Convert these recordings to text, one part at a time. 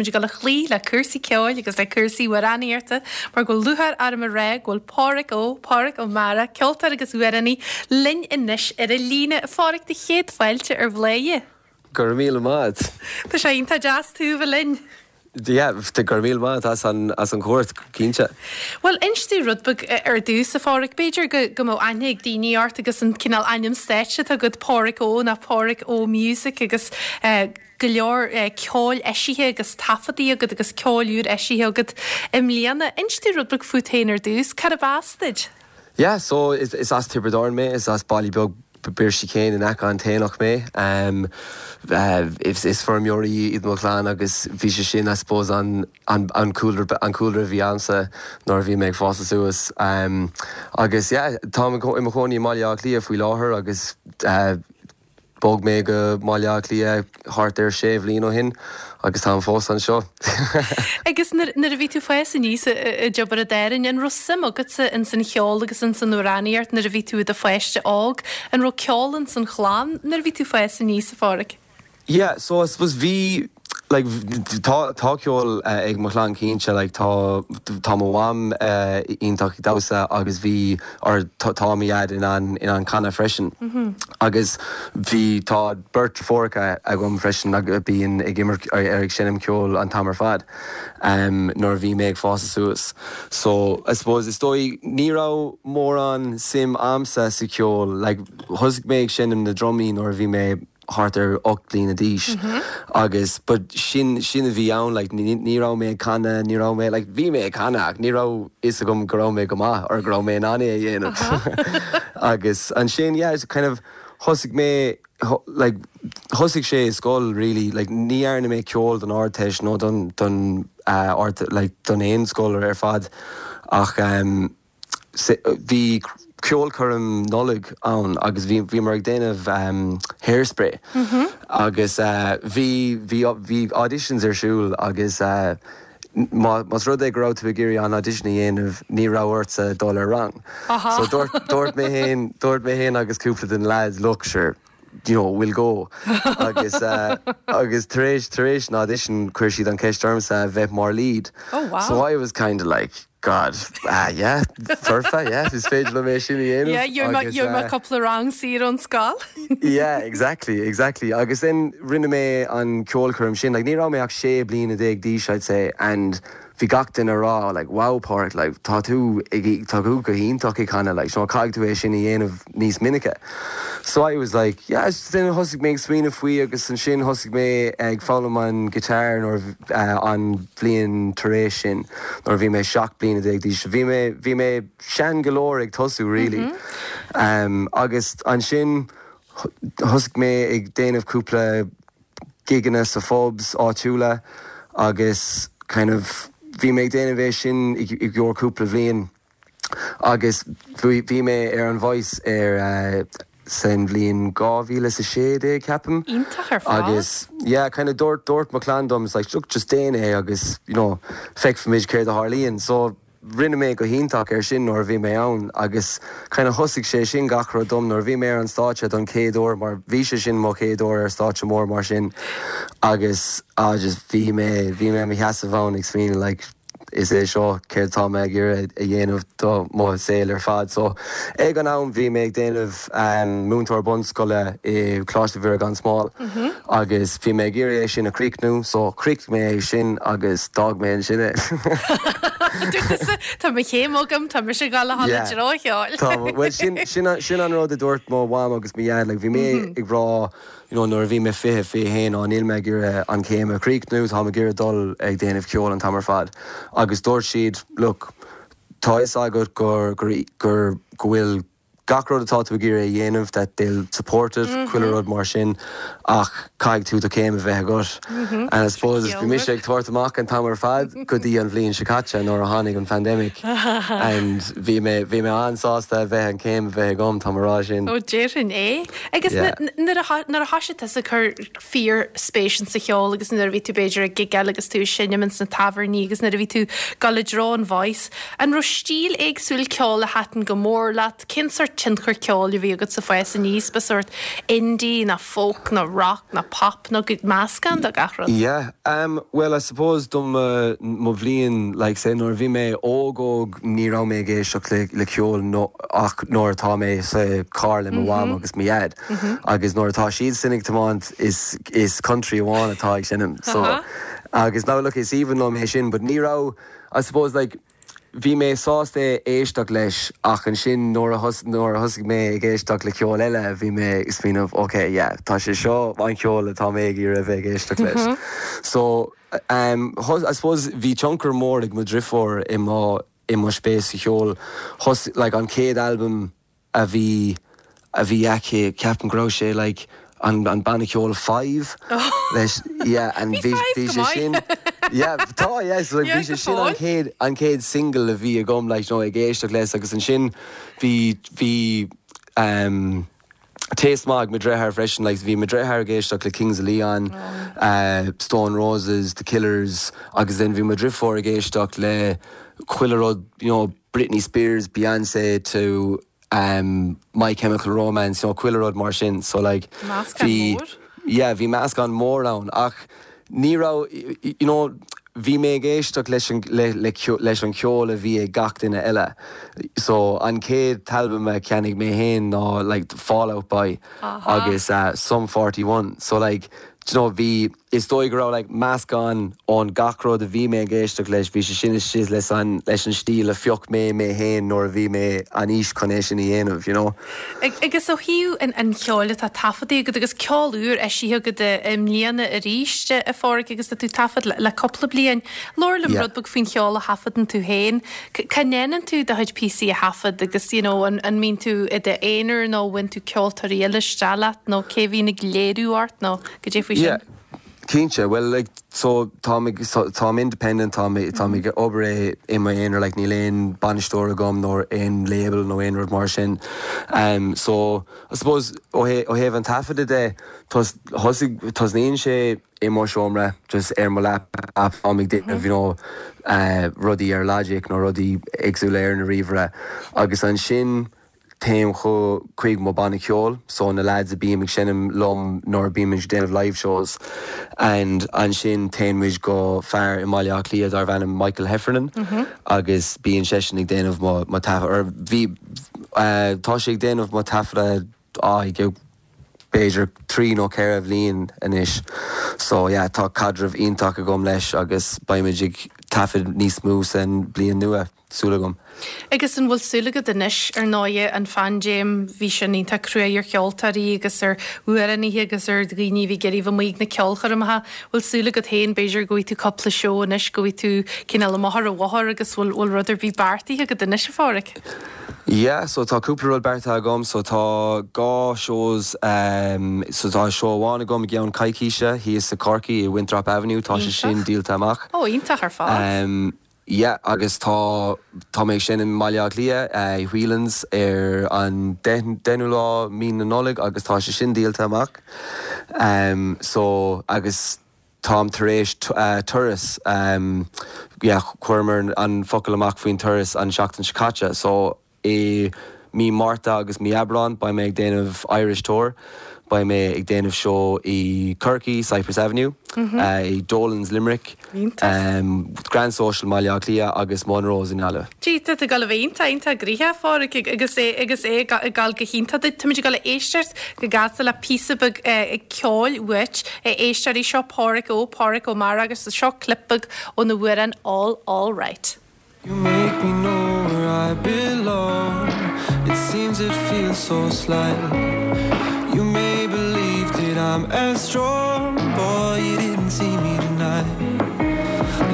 Táimid ag dul a chloí le cúrsaí ceoil agus le cúrsaí amhránaíochta mar go bhfuil lúcháir orm a rá go bhfuil Pádhraic Ó, Pádhraic Ó Meára, ceoltóir agus amhránaí, linn anois ar an líne. A Phádhraic, do chéad fáilte ar Bhladhaire. Go raibh míle maith a't. Tá sé iontach deas tú a bheith linn. Yeah, go raibh míle maith a't as an, as an chuairt, cinnte. Bhuel, inis dúinn rud beag ar dtús, a Phádhraic. B'fhéidir go, go mbeadh aithne ag daoine ort agus an cineál ainm stáitse atá agat, Pádhraic Ó nó Pádhraic Ó Music agus eh, go leor eh, ceoil eisithe agus taifeadtaí agat agus ceol úr eisithe agat i mbliana. Inis dúinn rud beag fút féin ar dtús. Cárb as duit? Yeah, so is, is as Tiobraid Árann mé, is as baile beag Birsí Céin in aice an t-aonach mé. Is feirmeoirí iad mo chlann agus bhí sé sin I suppose an an cúlra an cúlra a bhí a'msa nuair a bhí mé ag fás suas. Agus yeah táim i mo chónaí i mBaile Átha Cliath faoi láthair agus bhog mé go mBaile Átha Cliath thart ar sé bhliain ó shin agus táim fós anseo. Agus nuair a bhí tú fás aníos i dTiobraid Árann, an raibh suim agatsa ins an cheol agus ins an amhránaíocht nuair a bhí tú i do pháiste óg? An raibh ceol ins an chlann nuair a bhí tú fás aníos, a Phádhraic? Yeah, so I suppose bhí, like, tá, tá ceol ag mo chlann cinnte, like, tá, tá mo mham iontach ag damhsa agus bhí, or tá, tá mo dhaid in ann, in ann canadh freisin. Agus bhí, tá beirt deirfiúracha agam freisin a bíonn ag imirt, ar ag seinm ceoil an t-am ar fad nuair a bhí mé ag fás suas. So, I suppose, is dóigh, ní raibh mórán suim a'msa sa cheol, like, thosaigh mé ag seinm na drumaí nuair a bhí mé thart ar 8 bliana d'aois agus but sin sin a bhí ann like ní ní raibh mé ag canadh ní raibh mé like bhí mé ag canadh ach ní raibh fhios agam go raibh mé go maith or go raibh mé in ann é a dhéanamh agus ansin yeah it's kind of thosaigh mé like thosaigh sé i scoil really like ní dhearna mé ceol don Ardteist nó don don uh, ard like don aon scoil ar fad ach um, Bhí ceolchoirm Nollag ann agus bhí bhíomar ag déanamh Hairspray agus bhí bhí bhí auditions ar siúl agus má más rud é go raibh tú ag iarraidh an audition a dhéanamh ní raibh ortsa dul ar rang. So dúirt dúirt mé féin dúirt mé féin agus cúpla den lads look sure you know, we'll go. Agus agus tar éis tar éis an audition chuir siad an ceist ormsa a bheith mar lead. Oh wow. So I was kind of like God, ah yeah, foirfe, yeah, is féidir liom é sin a dhéanamh. Yeah, you're my, you're my cúpla rang saor ón scoil. Yeah, exactly, exactly. Agus then rinne mé an ceolchoirm sin, like ní raibh mé ach 16 bliana d'aois I'd say, and bhí gach duine ag rá like wow Páraic like tá tú ag tá tú go hiontach ag canadh like you know caithfidh tú é sin a dhéanamh níos minice. So I was like yeah then thosaigh mé ag smaoineamh faoi agus ansin thosaigh mé ag foghlaim an guitar nuair an bhliain tar éis sin nuair a bhí mé 17 bliana d'aois. Bhí mé bhí mé sean go leor ag tosú really. Um, agus ansin thosaigh mé ag déanamh cúpla gigeanna sa phubs áitiúla agus kind of bhí mé ag déanamh é sin i gcomhair cúpla bhliain agus bhí mé ar an Voice ar san bhliain 2016 ceapaim. Iontach ar fad. Agus yeah kind of dúirt dúirt mo chlann dom it's like look just déan é agus you know feicfimid céard a tharlaíonn. So Rinne mé go hiontach ar sin nuair a bhí mé ann agus kind of thosaigh sé sin gach rud dom nuair a bhí mé ar an stáitse don chéad uair mar bhí sé sin mo chéad uair ar stáitse mór mar sin agus ah just bhí mé bhí mé i mo sheasamh ann ag smaoineamh like is é seo céard atá mé ag iarraidh a dhéanamh do mo saol ar fad. So ag an am bhí mé ag déanamh múinteoir bunscoile i Coláiste Mhuire gan Smál agus bhí mé ag iarraidh é sin a chríochnú so chríochnaigh mé é sin agus d'fhág mé ansin é. Dúirt tusa, Tá mo chéim agam, tá mise ag dul a dhul i dtreo an cheoil. Tá, bhuel sin, sin, sin an rud a dúirt mo mham agus mo dhaid, like bhí mé ag rá, you know, nuair a bhí mé 20, 21, á níl mé ag iarraidh an chéim a chríochnú, táim ag iarraidh dul ag déanamh ceoil an t-am ar fad. Agus dúirt siad, look, tá fhios agat gur, gur, gur, go bhfuil gach rud atá tú ag iarraidh a dhéanamh, that they'll support it, chuile rud mar sin, ach caithfidh tú do chéim a bheith agat. And I suppose bhí mise ag tabhairt amach an t-am ar fad go dtí an bhliain seo caite nuair a tháinig an pandemic and bhí mé, bhí mé an-sásta a bheith an chéim a bheith agam, tá mé a rá sin. Ó déarfainn é. Agus nuair a, nuair a thoisigh tusa ag cur fíor-spéis insa cheol agus nuair a bhí tú b'fhéidir ag gigeáil agus tú ag seinm ins na tábhairní agus nuair a bhí tú ag dul i dtreo an Voice, an raibh stíl éagsúil ceoil a thaitin go mór leat? Cén sórt. tionchar ceoil a bhí agat sa fás aníos? Ba sórt indie nó folk nó rock nó pop nó meascán de gach rud? Yeah, well I suppose do mo mo bhliain like say nuair a bhí mé óg óg ní raibh mé ag éisteacht le le ceol nó ach nuair atá mé sa carr le mo mham agus mo dhaid agus nuair atá siad sin ag tiomáint is is country amháin atá ag seinm so agus now look is aoibhinn liom é sin but ní raibh I suppose like Bhí mé sásta éisteacht leis ach ansin nuair a nuair a thosaigh mé ag éisteacht le ceol eile bhí mé ag smaoineamh ok yeah tá sé seo an ceol atá mé ag iarraidh a bheith ag éisteacht leis. So um I suppose bhí tionchar mór ag mo dhriofúr i mo i mo spéis sa cheol. Thos like an chéad albam a bhí a bhí aici, ceapaim go raibh sé like an an banna ceoil Five leis yeah and bhí bhí sé sin yeah tá yeah so like bhí sé sin an chéad an chéad single a bhí agam like you know ag éisteacht leis agus ansin bhí bhí um taste maith ag mo dhriotháir freisin like bhí mo dhriotháir ag éisteacht le Kings of Leon uh Stone Roses, The Killers agus then bhí mo dhriofúr ag éisteacht le chuile rud you know Britney Spears, Beyonce to My Chemical Romance, you know, chuile rud mar sin. So like, Meascán bhí, mór. yeah, bhí meascán mór ann ach ní raibh, you know, bhí mé ag éisteacht leis an, le, le, leis an cheol a bhí ag gach duine eile. So an chéad t-albam a cheannaigh mé féin ná like Fall Out Boy agus Sum 41. So like, do you know, bhí, Is dóigh go raibh like meascán ón gach rud a bhí mé ag éisteacht leis, bhí sé sin istigh leis an leis an stíl a phioc mé mé féin nuair a bhí mé an aois chun é sin a dhéanamh, you know. Agus ó thaobh an an cheoil atá taifeadta agat agus ceol úr eisithe agat i mbliana arís, a Pháraic, agus tá tú ag taifead le cúpla bliain. Labhair liom Yeah. rud beag faoin cheol a thaifeadann tú féin. Cá ndéanann tú do chuid píosaí a thaifead agus you know an an mbíonn tú i d'aonar nó bhfuil tú ceoltóirí eile isteach leat nó cé a bhíonn ag léiriú ort nó Goidé faoi sin? Yeah, cinnte. Bhuel, like, so táim ag, so táim independent, táim, táim ag obair é i m'aonar, like, níl aon bainisteoir agam nó aon label nó aon rud mar sin. Um, so, I suppose, ó thaobh, ó thaobh an taifeadta de, tos, thosaigh, tosnaíonn sé i mo seomra, just ar mo laptop, táim ag déanamh, you know, uh, rudaí ar Logic nó rudaí éagsúla ar na ríomhaire. Agus ansin, Téim chuig mo banna ceoil, so na lads a bím ag seinm liom nuair a bímid ag déanamh live shows and ansin téann muid go fear i mBaile Átha Cliath darbh ainm Michael Heffernan agus bíonn seisean ag déanamh mo mo taifead or bhí tá sé ag déanamh mo taifeadadh ag b'fhéidir 3 nó 4 bhliain anois so yeah tá caidreamh iontach agam leis agus beimid ag taifead níos mó san bliain nua. Súil agam. Agus an bhfuil súil agat anois, ar ndóighe, an phaindéim, bhí sin iontach cruaidh ar cheoltóirí agus ar amhránaithe agus ar dhaoine a bhí ag iarraidh bheith amuigh ag na ceolchoirmeacha, bhfuil súil agat féin, b'fhéidir, go bhfaighidh tú cúpla seó anois, go bhfaighidh tú cineál amach ar an bhóthar agus bhfuil, bhfuil rud ar bith beartaithe agat anois, a Pháraic? Yeah, so tá cúpla rud beartaithe agam, so tá dhá shows, so tá seó amháin agam i gceann coicíse thíos i Corcaigh i Winthrop Avenue, tá sé sin Iontach. díolta amach. Ó, iontach ar fad. Yeah agus tá, tá mé ag seinm i mBaile Átha Cliath, i Whelan's ar an deichiú lá mí na Nollag agus tá sé sin díolta amach. So, agus táim tar éis turas, yeah chuireamar an focal amach faoin turas an seachtain seo caite so I mí Márta agus mí Aibreán beidh mé ag déanamh Irish Tour. Beidh mé ag déanamh seó i Corcaigh, Cypress Avenue, i Dolan's, Limerick, Grand Social mBaile Átha Cliath agus Monroe's i nGaillimh. Gee, tá tú ag dul a bheith iontach, iontach gnoitheach, a Pháraic, agus é, agus é ag dul go hiontach duit. Táimid ag dul a éisteacht go gasta le píosa beag ceoil uait, a éisteoirí. Seo Páraic Ó, Páraic Ó Meara agus seo clip beag óna amhrán All, All Right. You make me know where I belong It seems it feels so slight You may believe that I'm as strong Boy, you didn't see me tonight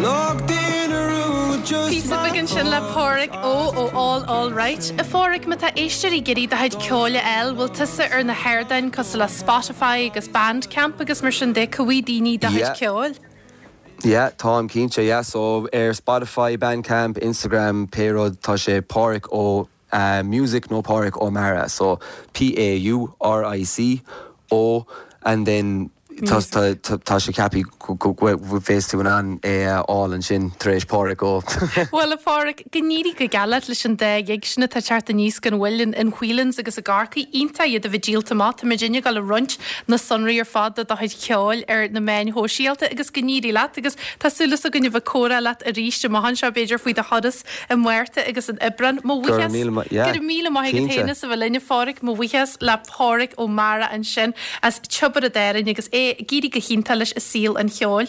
Locked in a room with just Píosa beag ansin le Páraic Ó ó All All Right. A Pháraic, má tá éisteoirí ag iarraidh do chuid ceoil a fháil, bhfuil tusa ar na hardáin cosúil le Spotify agus Bandcamp agus mar sin de, cá bhfaighidh daoine do chuid ceoil? Yeah, táim cinnte, yeah. So ar Spotify, Bandcamp, Instagram, pé rud, tá sé Páraic Ó Music nó Páraic Ó Meara. So P-A-U-R-I-C O and then. Tá tá sé ceaptha go bheas tú in ann é a fháil ansin tar éis Páraic Ó. Bhuel, a Pháraic, go n-éirí go geal leat leis an dá ghig sin atá ag teacht aníos gan mhoill in Whelan's agus i gCorcaigh. Iontach iad a bheith díolta amach. Tá muidinne ag dul a roinnt na sonraí ar fad de do chuid ceoil ar na meáin shóisialta agus go n-éirí leat agus tá súil againn a bheith ag comhrá leat arís amach anseo b'fhéidir faoi do thuras i Márta agus in Aibreán. Mo Go raibh míle maith, yeah, go raibh míle maith agat cinnte. féin as a bheith linn, a Pháraic. Mo bhuíochas le Páraic Ó Meára ansin as Tiobraid Árann agus é ag éirí go hiontach leis i saol an cheoil.